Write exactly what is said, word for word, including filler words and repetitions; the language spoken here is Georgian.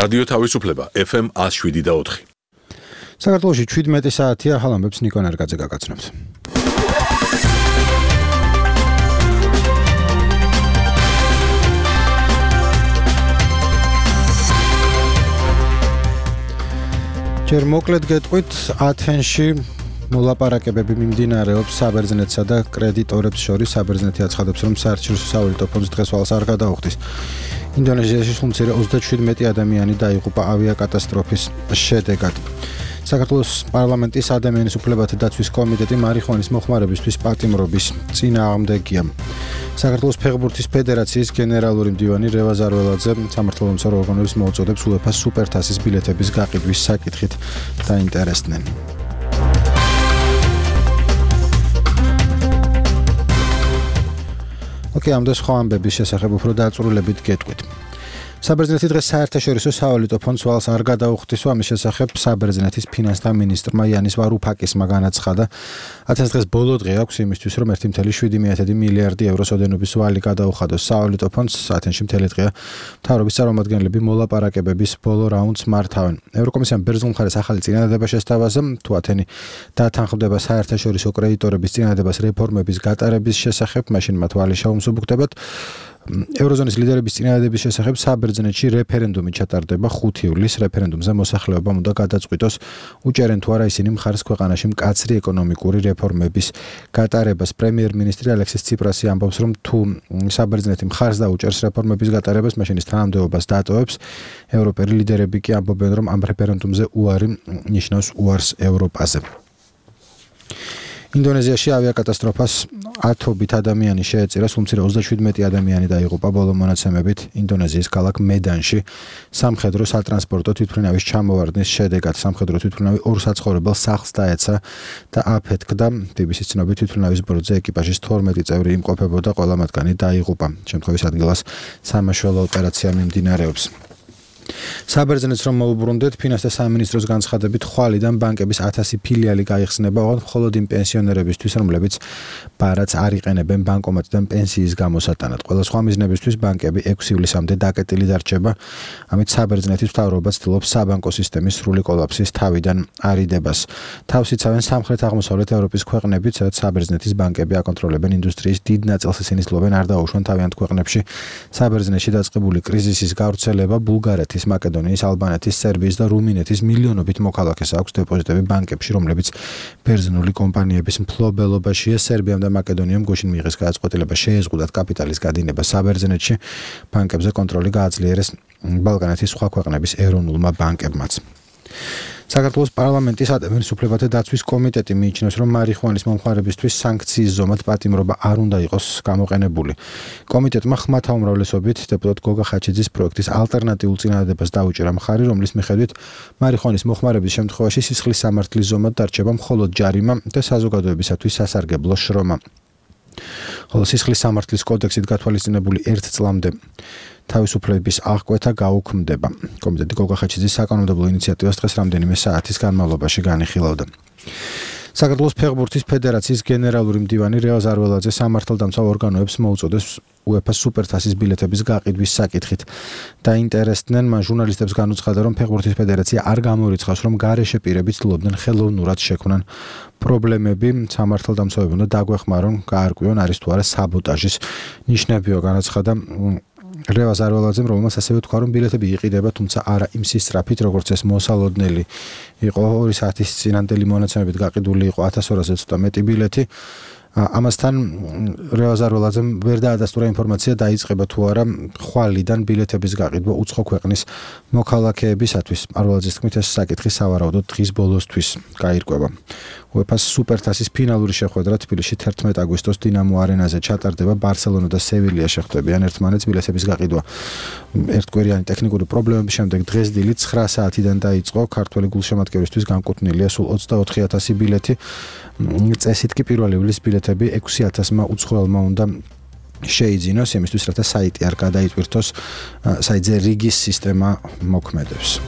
რადიო თავისუფლება F M one oh seven და four. საქართველოში შვიდმეტი საათია, ახალ ამბებს ნიკო ნერგაძე გაგაცნობთ. ჯერ მოკლედ გეტყვით, ათენში მოლაპარაკებები მიმდინარეობს საბერძნეთსა და კრედიტორებს შორის. საბერძნეთი აცხადებს, რომ საერთაშორისო სავალუტო ფონდს დღეს ვალს არ გადაუხდის. ინდონეზიაში სულ ოცდაშვიდმეტი ადამიანი დაიღუპა ავიაკატასტროფის შედეგად. საქართველოს პარლამენტის ადამიანის უფლებათა დაცვის კომიტეტი მარიხუანის მოხმარებისთვის პატიმრობის წინააღმდეგია. საქართველოს ფეხბურთის ფედერაციის გენერალური მდივანი რევაზ ზარველაძე სამართალდამცავ ორგანოებს მოუწოდებს უეფა-ს სუპერთასის ბილეთების გაყიდვის საკითხით დაინტერესდნენ. ოკეი, ამ და სხვა ამბების შესახებ უფრო დაწვრილებით გეტყვით. საბერძნეთი დღეს საერთაშორისო სავალუტო ფონდს ვალს არ გადაუხდის. ამის შესახებ საბერძნეთის ფინანსთა მინისტრმა იანის ვარუფაკისმა განაცხადა. ათენს დღეს ბოლო დღე აქვს იმისთვის, რომ one point seven მილიარდი ევროს ოდენობის ვალი გადაუხადოს სავალუტო ფონდს. ათენში მთელი დღეა მთავრობის წარმომადგენლები მოლაპარაკებების ბოლო რაუნდს მართავენ. ევროკომისიამ ბერძნულ მხარეს ახალი წინადადება შესთავაზა, თუ ათენი დათანხმდება საერთაშორისო კრედიტორების წინადადებას რეფორმების გატარების შესახებ, მაშინ მათ ვალი შეუმსუბუქდებათ. ევროზონის ლიდერების წინადადების შესახებ საბერძნეთში რეფერენდუმი ჩატარდება ხუთი ივლისს. რეფერენდუმზე მოსახლეობამ უნდა გადაწყვიტოს, უჭერენ თუ არა ისინი მხარს ქვეყანაში მკაცრი ეკონომიკური რეფორმების გატარებას. პრემიერ-მინისტრი ალექსის ციპრასი ამბობს, რომ თუ საბერძნეთი მხარს დაუჭერს რეფორმების გატარებას, მაშინ ის თანამდებობას დატოვებს. ევროპელი ლიდერები კი ამბობენ, რომ ამ რეფერენდუმზე უარი ნიშნავს უარს ევროპაზე. ინდონეზიაში ავიაკატასტროფას ათობით ადამიანი შეეწირა, სულ ოცდაშვიდმეტი ადამიანი დაიღუპა. ბოლო მონაცემებით ინდონეზიის ქალაქ მედანში სამხედრო სატრანსპორტო თვითმფრინავის ჩამოვარდნის შედეგად სამხედრო თვითმფრინავი ორ საცხოვრებელ სახლს დაეცა და აფეთქდა. ბი ბი სის ცნობით თვითმფრინავის ბორტზე ეკიპაჟის თორმეტი წევრი იმყოფებოდა, ყველა მათგანი დაიღუპა. შემთხვევის ადგილას სამაშველო ოპერაცია მიმდინარეობს. საბერძნეთს რომ მოუბრუნდეთ, ფინანსთა სამინისტროს განცხადებით, ხვალიდან ბანკების ათასი ფილიალი გაიხსნება, მხოლოდ იმ პენსიონერებისთვის, რომლებიც ბარათს არ იყენებენ ბანკომატიდან პენსიის გამოსატანად. ყველა სხვა მიზნებისთვის ბანკები ექვსი ივლისამდე დაკეტილი დარჩება. ამით საბერძნეთის მთავრობა ცდილობს საბანკო სისტემის სრული კოლაფსის თავიდან არიდებას. თავს იცავენ სამხრეთ-აღმოსავლეთ ევროპის ქვეყნებით, სადაც საბერძნეთის ბანკები აკონტროლებენ ინდუსტრიის დიდ ნაწილს, ისინი ცდილობენ არ დაუშვან თავიანთ ქვეყნებში საბერძნეთში დაწყებული კრიზისის გავრცელება. ბულგარეთის, მაკედონიის, ალბანეთის, სერბიის და რუმინეთის მილიონობით მოქალაქეს აქვს დეპოზიტები ბანკებში, რომლებიც ბერძნული კომპანიების მფლობელობაშია. სერბიამ და მაკედონიამ გუშინ მიიღეს გადაწყვეტილება შეეზღუდათ კაპიტალის გადინება საბერძნეთში. ბანკებზე კონტროლი გააძლიერეს ბალკანეთის სხვა ქვეყნების ეროვნულმა ბანკებმაც. საქართველოს პარლამენტის ადამიანის უფლებათა დაცვის კომიტეტი მიიჩნევს, რომ მარიხუანის მომხმარებისთვის სანქციის ზომად პატიმრობა არ უნდა იყოს გამოყენებული. კომიტეტმა ხმათა უმრავლესობით დეპუტატ გოგა ხაჩიძის პროექტის ალტერნატიულ წინადადებას დაუჭირა მხარი, რომლის მიხედვით მარიხუანის მოხმარების შემთხვევაში სისხლის სამართლის ზომად დარჩება მხოლოდ ჯარიმა და საზოგადოებისათვის სასარგებლო შრომა. ხოლო სისხლის სამართლის კოდექსით გათვალისწინებული ერთ წლამდე თავისუფლების აღკვეთა გაუქმდება. კომიტეტი გოგა ხაჩიძის საკანონმდებლო ინიციატივას დღეს რამდენიმე საათის განმავლობაში განიხილავდა. საქართველოს ფეხბურთის ფედერაციის გენერალური მდივანი რევაზ ზარველაძე სამართალდამცავ ორგანოებს მოუწოდებს უეფა-ს სუპერთასის ბილეთების გაყიდვის საკითხით დაინტერესდნენ. მან ჟურნალისტებს განუცხადა, რომ ფეხბურთის ფედერაცია არ გამორიცხავს, რომ გარეშე პირები ცდილობდნენ ხელოვნურად შექმნან პრობლემები. სამართალდამცავები უნდა დაგვეხმარონ, გაარკვიონ არის თუ არა საბოტაჟის ნიშნებიო. განაცხადა რევაზ ზარველაძემ, რომელმაც ასევე თქვა, რომ ბილეთები იყიდება, თუმცა არა იმ სისწრაფით, როგორც ეს მოსალოდნელი იყო. ორი საათის წინანდელი მონაცემებით გაყიდული იყო ათას ორასზე ცოტა მეტი ბილეთი. ამასთან რევაზ ზარველაძემ ვერ დაადასტურა ინფორმაცია, დაიწყება თუ არა ხვალიდან ბილეთების გაყიდვა უცხო ქვეყნის მოქალაქეებისათვის. არველაძის თქმით, ეს საკითხი სავარაუდოდ დღის ბოლოსთვის გაირკვევა. უეფა-ს სუპერთასის ფინალური შეხვედრა თბილისში თერთმეტ აგვისტოს დინამო არენაზე ჩატარდება. ბარსელონა და სევილია შეხვდებიან ერთმანეთს. ბილეთების გაყიდვა ერთკვირიანი ტექნიკური პრობლემების შემდეგ დღეს დილით ცხრა საათიდან დაიწყო. ქართველი გულშემატკივრისთვის განკუთვნილია სულ ოცდაოთხი ათასი ბილეთი. წესით კი პირველი ივლისის ბილეთები ექვსი ათასმა უცხოელმა უნდა შეიძინოს, იმისთვის რათა საიტი არ გადაიტვირთოს. საიტზე რიგის სისტემა მოქმედებს.